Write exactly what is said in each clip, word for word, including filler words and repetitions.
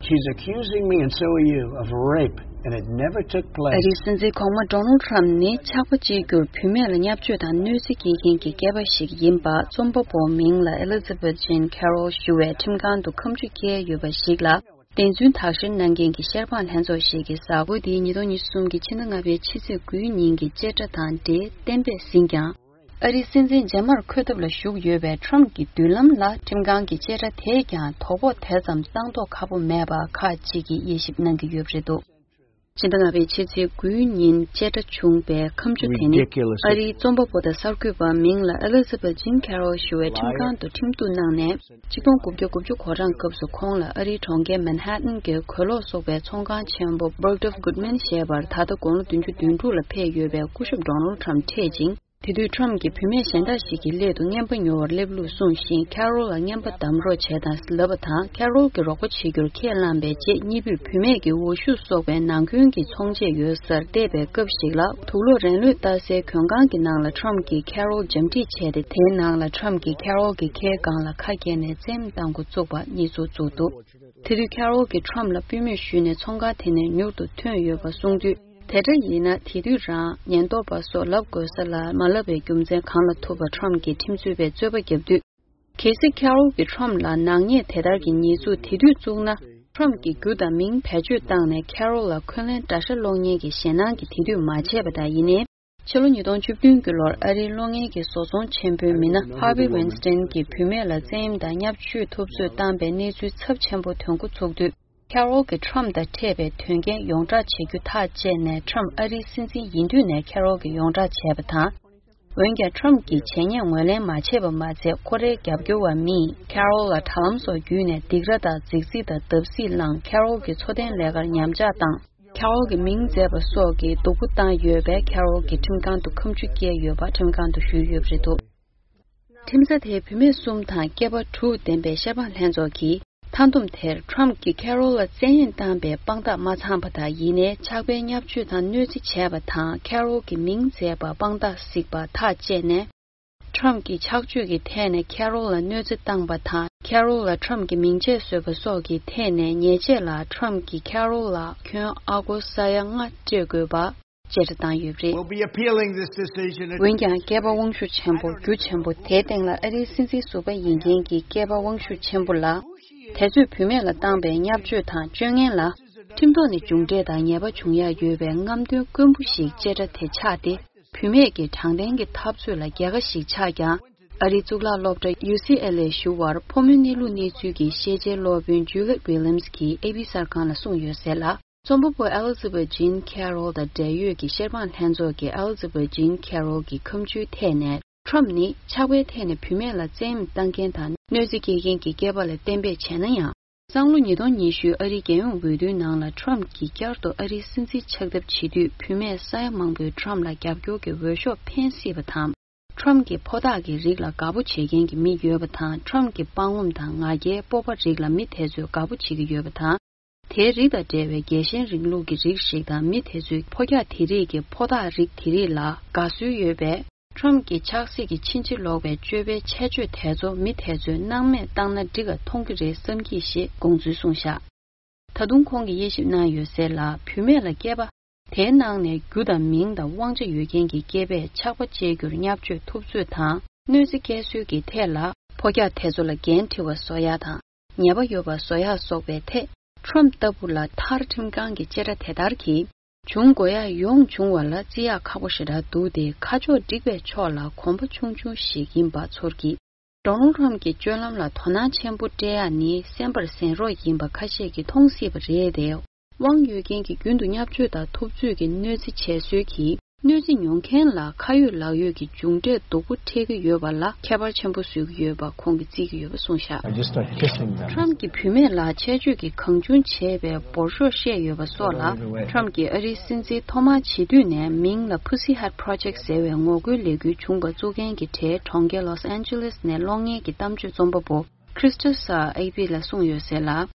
She's accusing me, and so are you, of rape, and it never took place. ཨ་རིའི་སྲིད་འཛིན་གོང་མ་ཌོ་ནལ་ཊམ་ནི་ཆགས་པ་བཅས་རྒྱུར་བུད་མེད་ལ་བརྙས་བཅོས་དང་གནོད་འཚེ་སྐྱེལ་མཁན་གྱི་སྐྱེས་པ་ཞིག་ཡིན་པ་རྩོམ་པ་པོ་མིང་ལ་ཨེ་ལི་ཛ་བེད་ཇིན་ཁེ་རོལ་ཞུ་བའི་ཁྲིམས་ཁང་དུ་ཁ་མཆུ་བཀལ་ཡོད་པ་ཞིག་ལ་བདེན་རྫུན་དག་བཤེར་གནང་མཁན་གྱི་བཤེར་དཔང་ལྷན་ཚོགས་ཤིག་གིས་གཟའ་འཁོར་འདིའི་ཉིས་སྟོང་ཉི་ཤུ་རྩ་གསུམ་གྱི་ཕྱི་ཟླ་ལྔ་པའི་ཕྱི་ཚེས་དགུའི་ཉིན་གྱི་བཅད་ཁྲ་དང་འབྲེལ་གཏན་འབེབས་ཟིན་ཀྱང་། ཨ་རིའི་སྲིད་འཛིན་རྗེས་མར་འཁོད་ཐབས་ལ་ཞུགས་ཡོད་པའི་ཁྲམ་གྱི་མདུན་ལམ་ལ་ཁྲིམས་ཁང་གི་བཅད་ཁྲ་དེས་ཀྱང་དོ་ཕོག་དེ་ཙམ་བཏང་མདོག་ཁ་པོ་མེད་པ་ཁག་ཅིག་གིས་དབྱེ་ཞིབ་གནང་གི་ཡོད་པ་རེད་འདུག་ཕྱི་ཟླ་ལྔ་པའི་ཕྱི་ཚེས་དགུའི་ཉིན་བཅད་ཁྲ་བྱུང་པའི་ཁ་མཆུ་དེ་ནི། Ridiculous. ཨ་རིའི་རྩོམ་པ་པོ་དང་གསར་འགོད་པ་མིང་ལ་ཨེ་ལི་ཛ་བེད་ཇིན་ཁེ་རོལ་ཞུ་བའི་ཁྲིམས་ཁང་དུ་ཁྲིམས་གཏུག་གནང་ནས། ཆིག་སྟོང་དགུ་བརྒྱ་དགུ་བཅུ་གོ་གྲངས་སྐབས་སུ་ཁོང་ལ་ཨ་རིའི་གྲོང་ཁྱེར་མན་ཧ་ཏན་གྱི་གོས་ལོག་གསོག་པའི་ཚོང་ཁང་ཆེན་པོ་Bergdorf Goodman ཞེས་པར་ད་ལྟ་དགུང་ལོ་བདུན་ཅུ་དོན་དྲུག་ལ་ཕེབས་ཡོད་པའི་སྐུ་ཞབས་ཌོ་ནལ་ཊམ་འཕྲད་ཅིང་། དེ་དུས་ཊམ་གྱིས་བུད་མེད་གཞན་དག་ཞིག་གི་སླད་དུ་རྔན་པ་ཉོ་བར་སླེབས་ལུགས་གསུངས་ཤིང་། ཁེ་རོལ་ལ་རྔན་པ་བདམས་རོགས་བྱས་དང་ལབ་པ་དང་། ཁེ་རོལ་གྱིས་རོགས་པ་བྱེད་རྒྱུར་ཁས་བླངས་པའི་རྗེས། གཉིས་པོས་བུད་མེད་ཀྱི་འོ་ཤུགས་གསོག་པའི་ནང་ཁུལ་གྱི་ཚོང་ཆས་ཡོད་སར་བལྟས་པའི་སྐབས་ཤིག་ལ། དུག་ལོག་རན་ལུད་ལྟ་སའི་གྱོན་ཁང་གི་ནང་ལ་ཊམ་གྱིས་ཁེ་རོལ་འཇམ་ཁྲིད་བྱས་ཏེ། དེའི་ནང་ལ་ཊམ་གྱིས་ཁེ་རོལ་གྱི་ཁའི་སྒང་ལ་ཁ་བཀལ་ནས་བཙེམ་བཏང་འགོ་བཙུགས་པ་གཉིས་ཚོགས་བཙུགས་འདུག་དེ་དུས་ཁེ་རོལ་གྱིས་ཊམ་ལ་པུས་མོ་གཞུས་ནས་ཚོང་ཁང་དེ་ནས་མྱུར་དུ་ཐོན་ཡོད་པ་གསུངས་དུས། དེ་འདྲ་ཡིན་ན། དེ་དུས་རང་ཉེན་རྟོག་པ་སོགས་ལབ་དགོས་ས་ལ་མ་ལབ་པའི་རྒྱུ་མཚན་གང་ལ་ཐུག་པ་ཊམ་གྱིས་ཁྲིམས་རྩོད་པས་རྩོད་པ་བརྒྱབ་དུས། གལ་སྲིད་ཁེ་རོལ་གྱིས་ཊམ་ལ་ནག་ཉེས་དེ་ལྟར་གྱི་ཉེས་འཛུགས་དེ་དུས་བཙུགས་ན། ཊམ་གྱིས་རྒྱུ་དང་མིང་བེད་སྤྱོད་བཏང་ནས་ཁེ་རོལ་ལ་འཁོན་ལན་འདྲ་འདྲ་སློག་མཁན་གྱི་ཞེད་སྣང་གིས་དེ་དུས་མ་བྱས་པ་དང་། ཡིན་ནའི། ཕྱི་ལོ་ཉིས་སྟོང་བཅུ་བདུན་གྱི་ལོར་ཨ་རིའི་གློག་བརྙན་གྱི་བཟོ་ཚོང་ཆེན་པོའི་མི་སྣ་ཧར་ཝི་ཝིན་སི་ཏན་གྱིས་བུད་མེད་ལ་བཙན་གཡེམ་དང་བརྙས་བཅོས་ཐུབ་ཚོད་བཏང་པའི་གནས་ཚུལ་ཚབས་ཆེན་པོ་ཐོན་འགོ་ཚུགས་དུས། ཁེ་རོལ་གྱིས་ཊམ་དང་འཕྲད་པའི་དོན་རྐྱེན་ཡོངས་བསྒྲགས་བྱེད་རྒྱུ་ཐག་བཅད་ནས། ཊམ་ཨ་རིའི་སྲིད་འཛིན་ཡིན་དུས་ནས་ཁེ་རོལ་གྱིས་ཡོངས་བསྒྲགས་བྱས་པ་དང་། འོན་ཀྱང་། ཊམ་གྱིས་བྱས་ཉེས་ངོས་ལེན་མ་བྱས་པ་མ་ཚད། ཁོ་རའི་རྒྱབ་སྐྱོར་བ་མིས་ཁེ་རོལ་ལ་དྲ་ལམ་སོགས་བརྒྱུད་ནས་སྡིགས་ར་དང་རྫིག་རྫིག་དང་བརྡབ་གསིག་བསླངས། ཁེ་རོལ་གྱི་འཚོ་རྟེན་ལས་ཀར་ཉམས་ཆག་བཏང་། ཁེ་རོལ་གྱི་མིང་མཛད་པ་སོགས་ཀྱི་སྡུག་པོ་བཏང་ཡོད་པས། ཁེ་རོལ་གྱིས་ཁྲིམས་ཁང་དུ་ཁ་མཆུ་བཀལ་ཡོད་པ་ཁྲིམས་ཁང་དུ་ཞུས་ཡོད་པ་རེད་འདུག་ཁྲིམས་ས་དེའི་བུད་མེད་གསུམ་དང་སྐྱེས་པ་དྲུག་ལྡན་པའི་བཤེར་དཔང་ལྷན་ཚོགས་ཀྱིས། མཐའ་བསྡོམས་དེར། ཊམ་གྱིས་ཁེ་རོལ་ལ་བཙན་གཡེམ་བཏང་པའི་དཔང་རྟགས་མ་ཚང་པ་དང་། ཡིན་ནའི། ཆགས་པའི་བརྙས་བཅོས་དང་གནོད་འཚེ་བྱས་པ་དང་། ཁེ་རོལ་གྱི་མིང་མཛད་པ་དཔང་རྟགས་གཟིགས་པ་ཐག་བཅད་ནས། ཊམ་གྱིས་ཆགས་སྤྱོད་ཀྱི་ཐད་ནས་ཁེ་རོལ་ལ་གནོད་འཚེ་བཏང་པ་དང་། ཁེ་རོལ་ལ་ཊམ་གྱི་མིང་ཆད་བཟོས་པ་སོགས་ཀྱི་ཐད་ནས། ཉེས་ཆད་ལ་ཊམ་གྱིས་ཁེ་རོལ་ལ་ཁྱོན་ཨ་སྒོར་ས་ཡ་ལྔ་སྤྲད་དགོས་པ་བཅད་ཁྲ་བཏང་ཡོད་པ་རེད། We'll be appealing this decision. འོན་ཀྱང་། སྐྱེས་པ་དབང་ཤུགས་ཆེན་པོ། རྒྱུ་ཆེན་པོ་དེ་སྟེང་ལ་ཨ་རིའི་སྲིད་འཛིན་ཟུར་པ་ཡིན་མཁན་གྱི་སྐྱེས་པ་དབང་ཤུགས་ཆེན་པོ་ལ། དེ་ཚོས་བུད་མེད་ལ་བཏང་པའི་བརྙས་བཅོས་དང་སྤྱོད་ངན་ལ། ཁྲིམས་ཐོག་ནས་མཇུག་འབྲས་དང་ཉེས་པ་འབྱུང་ཡ་ཡོད་པའི་རྔམ་སྟོན་དཀོན་པོ་ཞིག་བཅད་ཁྲ་དེ་ཆགས་ཏེ། བུད་མེད་ཀྱི་དྲང་བདེན་གྱི་འཐབ་རྩོད་ལ་རྒྱལ་ཁ་ཞིག་ཆགས་ཀྱང་། ཨ་རིའི་གཙུག་ལག་སློབ་གྲྭ་ཡུ་སི་ཨེལ་ཨེ་ཞུ་བར་ཕོ་མོའི་གནས་ལུགས་གནས་ཚུལ་གྱི་ཤེས་བྱའི་སློབ་དཔོན་ཇུ་ལེ་ཝི་ལི་ཡམ་སི་གིས་ཨེ་པི་གསར་ཁང་ལ་གསུངས་ཡོད་ཟེར་ལ། རྩོམ་པ་པོ་ཨེ་ལི་ཛ་བེད་ཇིན་ཁེ་རོལ་དང་འབྲེལ་ཡོད་ཀྱི་བཤེར་དཔང་ལྷན་ཚོགས་ཀྱིས་ཨེ་ལི་ཛ་བེད་ཇིན་ཁེ་རོལ་གྱི་ཁ་མཆུའི་ཐད་ནས། ཊམ་ནི་ཆགས་པའི་ཐད་ནས་བུད་མེད་ལ་བཙན་གཡེམ་བཏང་མཁན་དང་གནོད་འཚེ་སྐྱེལ་མཁན་གྱི་སྐྱེས་པ་ལ་གཏན་འབེབས་བྱས་ན་ཡང་། སང་ལོ་ཉིས་སྟོང་ཉི་ཤུ་ཨ་རིའི་རྒྱལ་ཡོངས་འོས་བསྡུའི་ནང་ལ་ཊམ་གྱིས་བསྐྱར་དུ་ཨ་རིའི་སྲིད་འཛིན་ཆགས་ཐབས་བྱེད་དུས། བུད་མེད་ས་ཡ་མང་པོས་ཊམ་ལ་རྒྱབ་སྐྱོར་གྱི་འོས་ཤོག་འཕེན་སྲིད་པ་དང་། ཊམ་གྱི་ཕོ་རྟགས་ཀྱི་རིགས་ལ་དགའ་པོ་བྱེད་མཁན་གྱི་མི་ཡོད་པ་དང་། ཊམ་གྱི་པགས་ངོམ་དང་ང་རྒྱལ་སྤོབས་པ་རིགས་ལ་མི་དེ་ཚོས་དགའ་པོ་བྱེད་ཀྱི་ཡོད་པ་དང་། དེའི་རིགས་དང་འབྲེལ་བའི་རྒྱལ་ཞེན་རིང་ལུགས་ཀྱི་རིགས་ཤིག་དང་། མི་དེ་ཚོའི་ཕོ་རྒྱག་དེ་རིགས་ཀྱི་ཕོ་རྟགས་རིགས་དེ་རིགས་ལ་དགའ་བསུ་ཡོད་པས། ཊམ་གྱི་ཆབ་སྲིད་ཀྱི་ཕྱིན་ཅི་ལོག་པའི་སྤྱོད་པའི་ཁྱད་ཆོས་དེ་ཚོ་མི་དེ་ཚོས་སྣང་མེད་བཏང་ན་འགྲིག་ག་མཐོང་གི་རེད་བསམ་གྱི་ཞེས་དགོངས་ཚུལ་གསུངས་བཞག་ད་དུང་ཁོང་གིས་དབྱེ་ཞིབ་གནང་ཡོད་ཟེར་ལ། བུད་མེད་ལ་སྐྱེས་པ་དེའི་ནང་ནས་རྒྱུ་དང་མིང་དང་དབང་ཆ་ཡོད་མཁན་གྱི་སྐྱེས་པས་ཆགས་པ་བཅད་རྒྱུར་བརྙས་བཅོས་ཐུབ་ཚོད་དང་། གནོད་འཚེ་སྐྱེལ་སྲོལ་གྱི་ཐད་ལ། ཕོ་རྒྱག་དེ་ཚོ་ལ་འགན་འཁྲི་བ་བཟོ་ཡག་དང་། ཉེས་པ་ཡོད་པ་བཟོ་ཡག་སོགས་པའི་ཐད། ཊམ་ལྟ་བུ་ལ་མཐར་ཁྲིམས་ཁང་གི་བཅད་ཁྲ་དེ་ལྟར་གྱིས། བྱུང་དགོས་ཡག་ཡོང་བྱུང་བ་ལ་བརྩི་ཡག་ཁག་པོ་ཞེ་དྲག་འདུག་སྟེ། ཁ་ཕྱོགས་འགྲིག་པའི་ཕྱོགས་ལ་གོམ་པ་ཆུང་ཆུང་ཞིག་ཡིན་པ་ཚོར་གྱི། ཌོ་ནལ་ཊམ་གྱི་སྤྱོད་ལམ་ལ་དོ་སྣང་ཆེན་པོ་སྤྲད་ཡག་ནི་གསན་པར་གཟན་རོགས་ཡིན་པ་ཁ་ཤས་ཀྱིས་མཐོང་སྲིད་པ་རེད་དེ། དབང་ཡོད་མཁན་གྱིས་རྒྱུན་དུ་བརྙས་བཅོས་དང་ཐུབ་ཚོད་ཀྱི་གནོད་འཚེ་བྱས་སྲོལ་གྱིས། གནོད་འཚེ་མྱོང་མཁན་ལ་ཁ་ཡོད་ལག་ཡོད་ཀྱི་མཇུག་འབྲས་སྡུག་པོ་འཕྲད་ཀྱི་ཡོད་པ་ལ་ཁྱད་པར་ཆེན་པོ་བཟོ་གི་ཡོད་པ་ཁོང་གིས་བརྩི་གི་ཡོད་པ་གསུངས་བཞག I just start kissing them. ཊམ་གྱིས་བུད་མེད་ལ་ཆད་གཅོད་ཀྱི་གང་བྱུང་བྱས་པའི་འབོར་ཤོག་བཤད་ཡོད་པ་སོགས་ལ། ཊམ་གྱིས་ཨ་རིའི་སྲིད་འཛིན་ཐོག་མར་བྱེད་དུས་ནས་མིང་ལ་Pussy Hat Project ཟེར་བའི་ངོ་རྒོལ་ལས་འགུལ་བྱུང་བ་བཙུགས་མཁན་གྱི་གྲས་གྲོང་ཁྱེར་ལོས་ཨན་ཇེ་ལེས་ནས་གློག་བརྙན་གྱི་གཏམ་བརྗོད་རྩོམ་པ་པོ་Crystal Saar་ཨེ་པི་ལ་གསུངས་ཡོད་ཟེར་ལ།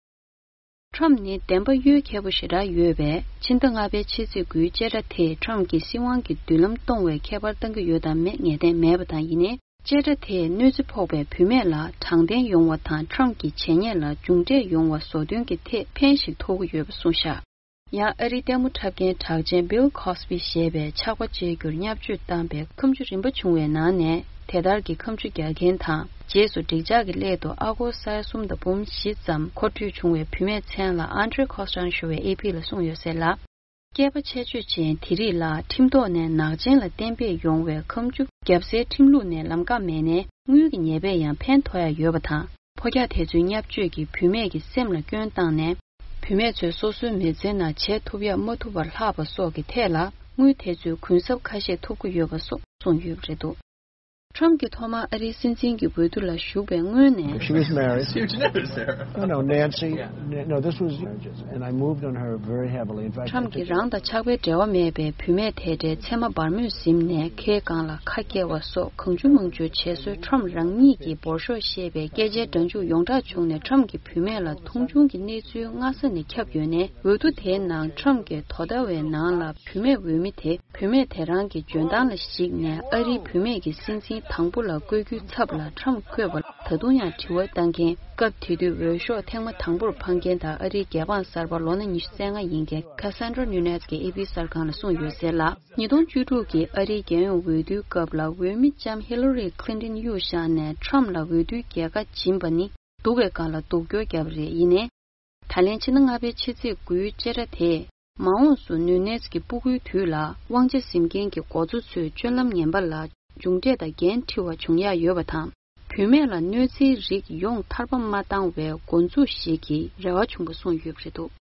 ཊམ་ནི་བདེན་པ་གཡོལ་མཁས་པོ་ཞེ་དྲག་ཡོད་པས། ཕྱི་ཟླ་ལྔ་པའི་ཕྱི་ཚེས་དགུའི་བཅད་ཁྲ་དེས་ཊམ་གྱི་སྲིད་དབང་གི་མདུན་ལམ་སྟོང་བའི་ཁྱད་པར་བཏང་གི་ཡོད་དམ་མེད་ངེས་གཏན་མེད་པ་དང་། ཡིན་ནའི། བཅད་ཁྲ་དེས་གནོད་འཚེ་ཕོག་པའི་བུད་མེད་ལ་དྲང་བདེན་ཡོང་བ་དང་ཁྲམ་གྱི་བྱས་ཉེས་ལ་མཇུག་འབྲས་ཡོང་བ་བཟོ་དོན་གྱི་ཐད་ཕན་ཞིག་ཐོགས་ཀྱི་ཡོད་པ་གསུངས་བཞག་ཡང་ཨ་རིའི་ལྟད་མོ་འཁྲབ་མཁན་གྲགས་ཅན་Bill Cosby་ཞེས་པའི་ཆགས་པ་བཅད་རྒྱུར་བརྙས་བཅོས་བཏང་པའི་ཁ་མཆུ་རིམ་པ་བྱུང་བའི་ནང་ནས་དེ་ལྟར་གྱི་ཁ་མཆུ་རྒྱག་མཁན་དང་རྗེས་སུ་འགྲིག་འཇགས་ཀྱི་སླད་དུ་ཨ་སྒོར་ས་ཡ་གསུམ་དང་འབུམ་བཞི་ཙམ་མཁོ་སྤྲོད་བྱུང་བའི་བུད་མེད་མཚན་ལ་Andre Costin་ཞུ་བས་ཨེ་ཕི་ལ་གསུངས་ཡོད་ཟེར་ལ། སྐྱེས་པ་ཆེད་སྤྱོད་ཅན་དེ་རིགས་ལ་ཁྲིམས་ཐོག་ནས་ནག་ཅན་ལ་གཏན་འབེབས་ཡོང་བའི་ཁ་མཆུ་བརྒྱབ་སའི་ཁྲིམས་ལུགས་ནས་ལམ་ཁ་མེད་ནའི་དངུལ་གྱི་ཉེས་པས་ཡང་ཕན་ཐོགས་ཡ་ཡོད་པ་དང་། ཕོ་རྒྱག་དེ་ཚོའི་བརྙས་བཅོས་ཀྱིས་བུད་མེད་ཀྱི་སེམས་ལ་སྐྱོན་བཏང་ནས། བུད་མེད་ཚོས་སོ་སོའི་མི་ཚེའི་ནང་བྱེད་ཐུབ་ཡ་མ་ཐུབ་པར་ལྷག་པ་སོགས་ཀྱི་ཐད་ལ་དངུལ་དེ་ཚོའི་གུན་གསབ་ཁ་ཤས་ཐོབ་ཀྱི་ཡོད་པ་སོགས་གསུངས་ཡོད་པ་རེད་འདུག་ཁྲམ་གྱིས་ཐོག་མར་ཨ་རིའི་སྲིད་འཛིན་གྱི་འོས་བསྡུ་ལ་ཞུགས་པའི་སྔོན་ནས། She was married. No, no, Nancy. Yeah. No, this was, and I moved on her very heavily. In fact, I ཁྲམ་གྱིས་རང་དང་ཆགས་པའི་འབྲེལ་བ་མེད་པའི་བུད་མེད་དེ་འདྲའི་མཚན་མ་སྦར་མོས་ཟིན་ནས་ཁའི་སྒང་ལ་ཁ་བཀལ་བ་སོགས་གང་བྱུང་མང་བྱུང་བྱས་སྲོལ་ཁྲམ་རང་ཉིད་ཀྱིས་འབོར་ཤོག་ཞེས་པའི་སྐད་ཆའི་སྒྲ་འཇུག་ཡོངས་གྲགས་བྱུང་ནས་ཁྲམ་གྱིས་བུད་མེད་ལ་མཐོང་ཆུང་གི་གནས་ཚུལ་སྔ་ས་ནས་ཁྱབ་ཡོད་ནས། འོས་བསྡུ་དེའི་ནང་ཁྲམ་གྱིས་དོ་ཟླ་བའི་ནང་ལ་བུད་མེད་འོས་མི་དེ། བུད་མེད་དེ་རང་གི་འཇོན་ཐང་ལ་གཞིགས་ནས་ཨ་རིའི་བུད་མེད་ཀྱི་སྲིད་འཛིན་དང་པོ་ལ་བསྐོ་རྒྱུའི་ཚབ་ལ་ཁྲམ་བཀོད་པ་ལ་ད་དུང་ཡང་དྲི་བ་བཏང་མཁན། སྐབས་དེ་དུས་འོས་ཤོག་ཐེངས་མ་དང་པོར་འཕངས་མཁན་དང་ཨ་རིའི་རྒྱལ་འབངས་གསར་པ་ལོ་ན་ཉི་ཤུ་རྩ་ལྔ་ཡིན་མཁན་Cassandra Nunez་གྱིས་ཨེ་པི་གསར་ཁང་ལ་གསུངས་ཡོད་ཟེར་ལ། ཉིས་སྟོང་བཅུ་དྲུག་གི་ཨ་རིའི་རྒྱལ་ཡོངས་འོས་བསྡུའི་སྐབས་ལ་འོས་མི་ལྕམ་Hillary Clinton་གཡུག་བཞག་ནས་ཁྲམ་ལ་འོས་བསྡུའི་རྒྱལ་ཁ་སྦྱིན་པ་ནི་སྡུག་པའི་སྒང་ལ་སྡུག་སྐྱོར་བརྒྱབ་པ་རེད། ཡིན་ནའི། ད་ལན་ཕྱི་ཟླ་ལྔ་པའི་ཕྱི་ཚེས་དགུའི་བཅད་ཁྲ་དེས་མ་འོངས་སུ་ནུ་ནེས་ཀྱི་སྤུ་གུའི་དུས་ལ་དབང་ཆ་འཛིན་མཁན་གྱི་འགོ་གཙོ་ཚོའི་སྤྱོད་ལམ་ངན་པ་ལ་མཇུག་འབྲས་དང་འགན་འཁྲི་བ་འབྱུང་ཡ་ཡོད་པ་དང་། བུད་མེད་ལ་གནོད་འཚེའི་རིགས་ཡོངས་ཐར་པ་མ་བཏང་བའི་འགོ་འཛུགས་ཤིག་གི་རེ་བ་བྱུང་བ་གསུངས་ཡོད་པ་རེད་འདུག